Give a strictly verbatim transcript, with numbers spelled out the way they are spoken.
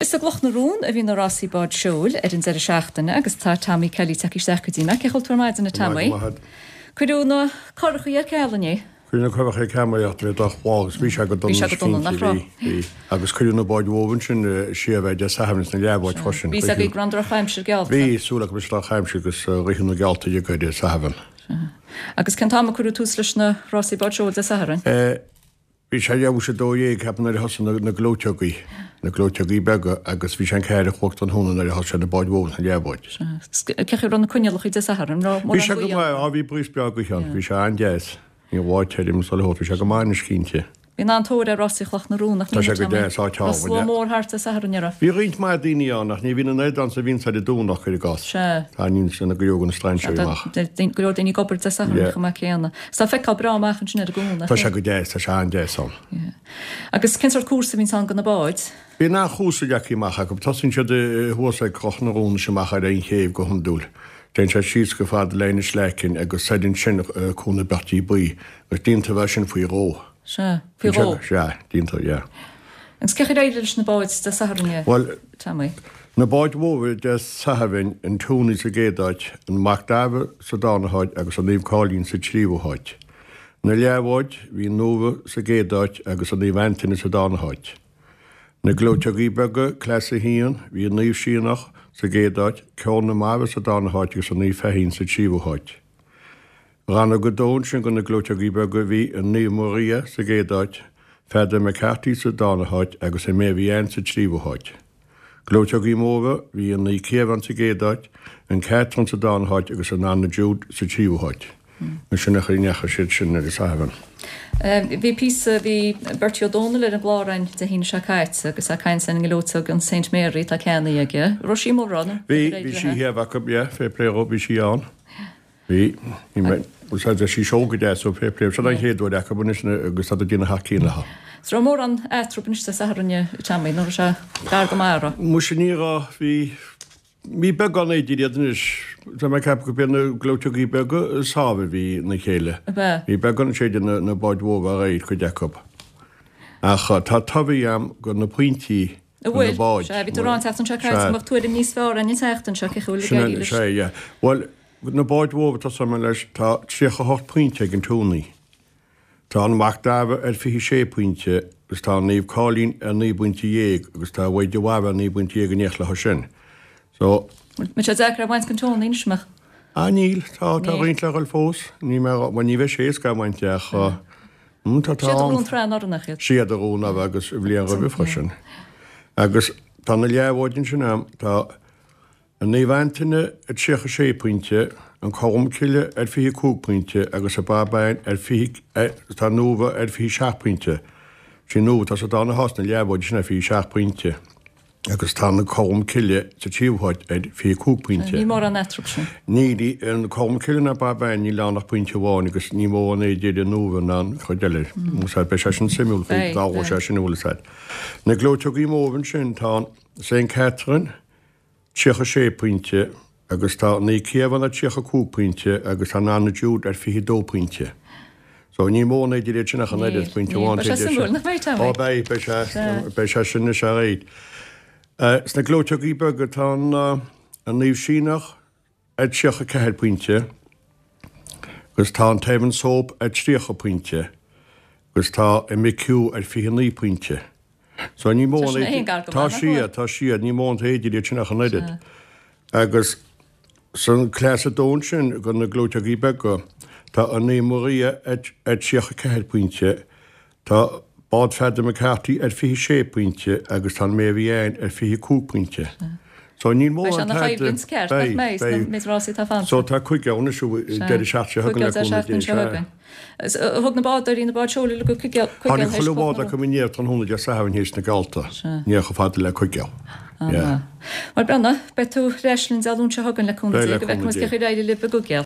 Is i gCloch na Rón a bhí na rásaí bád seoil ar an deireadh seachtaine agus tá Tommy Kelly tagtha isteach go dtí mé. Cén chaoi a bhfuil tú ar maidin, a Tommy? Cuireadh na curachaí ar ceal inné. Cuireadh na curachaí ar ceal mar bhí droch-lá agus bhí sé go dona Bhí sé go dona, nach raibh? Bhí, bhí. Agus cuireadh na báid mhóra ansin siar ar Dé Sathairn is na leathbháid freisin. Bhí sé go raibh an drochaimsir geallta. Bhí, súil acu go raibh drochaimsir agus ritheadh na geallta uilig ar Dé Sathairn. Agus cén t-am a cuireadh tús leis na rásaí bád seoil Dé Sathairn? Bhí sé leathuair tar éis a dó dhéag, ceapaim, nuair a thosaigh na gleoiteogaí, na gleoiteogaí beaga agus bhí sé an ceathair a chlog tráthnóna nuair a thosaigh na báid mhóra is na leathbháid. Cén chaoi a raibh na coinníollacha Dé Sathairn? Raibh Bhí mórán sé go gaoth maith, ann? á bhí breeze breá gaoithe ann, bhí sé an-deas. Ní lá tirim is chuile shórt, bhí sé go maith anois cinnte. Bíonn an-tóir ar rásaí Chloch na Rón, nach Tá mbíonn, sé go Tommy? deas, áit Raibh álainn, slua yeah. mór thart Dé Sathairn, an raibh? Bhí roinnt mhaith daoine ann ach ní bhíonn an oiread ann is a bhíonns ar an Domhnach, cuir i gcás. Sea. Tá, ní sin go leor de na strainséirí Tá amach. go leor daoine ag obair Dé Sathairn Yeah. chomh maith céanna. Is tá feiceáil breá amach ansin ar an gcuan, nach Tá sé é? go deas, tá sé an-deas ann. Yeah. Agus cén sórt cúrsa a bhíonns ann do na báid? Bíonn an-chúrsa leagtha amach acu. Tosaíonn siad thuas ag Cloch na Rón is amach ar an chéibh go hiondúil. Téann siad síos chomh fada le Inis Leacain agus soir ansin Cuan na Beirtí Buí agus déantar é sin faoi dhó. Sea, faoi dhó. Sea, déantar, yeah. Agus cén chaoi ar éirigh leis na báid Dé Sathairn, Bhuel, Tommy? na báid mhóra Dé Sathairn, an Tony sa gcéad áit, an Mac Dara sa darna háit agus an Naomh Cáilín sa tríú háit. Na leathbháid, bhí an Nóra sa gcéad áit agus an Naomh Antaine sa darna háit. Na gleoiteogaí beaga, Class a haon, bhí an Naomh Síonach sa gcéad áit, Ceol na Mara sa darna háit agus an Naomh Feichín sa tríú háit. Rannóg a dó ansin do na gleoiteogaí beaga bhí an Naomh Maria sa gcéad áit, Feadair McCarthy sa darna háit agus an Mary Ann sa tríú háit. Gleoiteogaí móra, bhí an Naomh Ciarán sa gcéad áit, an Catherine sa darna háit agus an Anna Jude sa tríú háit. Sin an chaoi a ndeachaigh siad sin ar an Satharn. Bhí píosa, bhí Bertie Ó Dónaill ar an gclár againn Dé hAoine seo caite agus é ag caint ar an ngleoiteog an Saint Mary atá ceannaithe aige. Raibh sí amuigh, raibh? Bhí, bhí sí thiar acu, yeah, fair play dhó, bhí sí ann. Bhí, bhí mé, bhuel tá sí seolta go deas so fair play. Seo an chéad uair acu anois agus tá ag déanamh thar cionn leo. Is raibh mórán eatarthu anois Dé Sathairn, a Tommy, nó raibh sé gar go maith, raibh? Muise ní raibh, bhí, bhí beagán idir iad anois. Tá mé ag ceapadh gurb iad na gleoiteogaí beaga is fearr a bhí ina chéile. Ab ea? Bhí beagán sé idir na, na báid mhóra aréir, cuid acu. Ach tá tobhaigh a'm go na pointí An go na bhfuil? báid. Sea, bhí tú ag rá an tseachtain seo caite Sea. go mbeadh tuairim níos fearr againn an tseachtain seo, cén chaoi a bhfuil ag Sin éirí é, leis? sea, yeah. Bhuel, Na báid mhóra, tosóidh mé leis, tá tríocha a hocht pointe ag an Tony. Tá an Mac Dara ar fiche sé pointe agus tá an Naomh Cáilín ar naoi bpointe dhéag agus tá Mhaigh de Bharra ar naoi bpointe dhéag in éineacht leo sin. So. Mbeidh sé deacair é a bhaint den Tony anois, an mbeadh? Ah níl, tá, tá Níl. roinnt le dhul fós. Ní mé, bhuel ní bheidh sé éasca é a bhaint de ach mm tá, tá Siad a an. bhuaigh an tsraith anuraidh nach iad? Siad a bhuaigh anuraidh agus an bhliain roimhe freisin. Agus tá na leathbháid ansin a'm, tá. An Naomh Antaine ar tríocha sé pointe, an Colm Cille ar fiche cúig pointe agus an Barbáin ar fiche, tá an Nóra ar fiche seacht pointe. Sin Nóra atá sa darna háit sna leathbháid sin ar fiche seacht pointe agus tá an Colm Cille sa tríú háit ar fiche cúig pointe. Níl mórán eatarthu sin. Níl, an Colm Cille ná Barbáin níl ann ach pointe amháin agus ní mó an idir an Nóra ná an chuid eile. Beidh sé sin suimiúil faoi, Beidh, dá beidh. sé sin bhfuil a fhios agat. Na gleoiteogaí móra ansin tá an Saint Catherine, tríocha sé pointe agus tá Naomh Ciarán ar tríocha cúig pointe agus tá an Anna Jude ar fiche dó pointe. So ní mó an idir iad sin ach an Níl, oiread, pointe níl. amháin Beidh sé idir suimiúil, sin. nach mbeidh, Tommy? Ó beidh, beidh sé, Sea. beidh sé sin is ea é. Sna gleoiteogaí beaga tá an, an Naomh Síneach ar tríocha ceathair pointe agus tá an tEvans Hope ar tríocha pointe agus tá an McHugh ar fiche naoi pointe. So ní mó Tá an sin aon gar go Tá maith, nach siad, bhfuil? tá siad, ní mó an t-éidir iad sin ach an oiread. Agus san Class a dó ansin do na gleoiteogaí beaga, tá an Naomh Maria ar ar tríocha ceathair pointe, tá Bád Pheadar McCarthy ar fiche sé pointe agus tá an Mary Ann ar fiche cúig pointe. So níl Beidh sé mórán ina choimhlint ceart, nach Beidh, mbeidh, sna beidh. méid rásaí atá fanta. So tá cúig ann anois Sea, deireadh seachtaine seo cúig chugainn le deireadh cúnamh seachtaine Dé, seo sea. chugainn. Thug na bádóirí na báid seoil uilig go Cuigéal, Tháinig Cuigéal théis chuile Chloch bhád na acu inné tráthnóna Dé Sathairn théis na geallta. Sea. Ní chomh fada le Cuigéal. Ah, Yeah. Bhuel, Breandán, beidh tú ar ais linn Dé Luain seo chugainn le cúnamh Beidh Dé le go bhfeicfidh cúnamh muid Dé. cén chaoi ar éirigh libh i gCuigéal.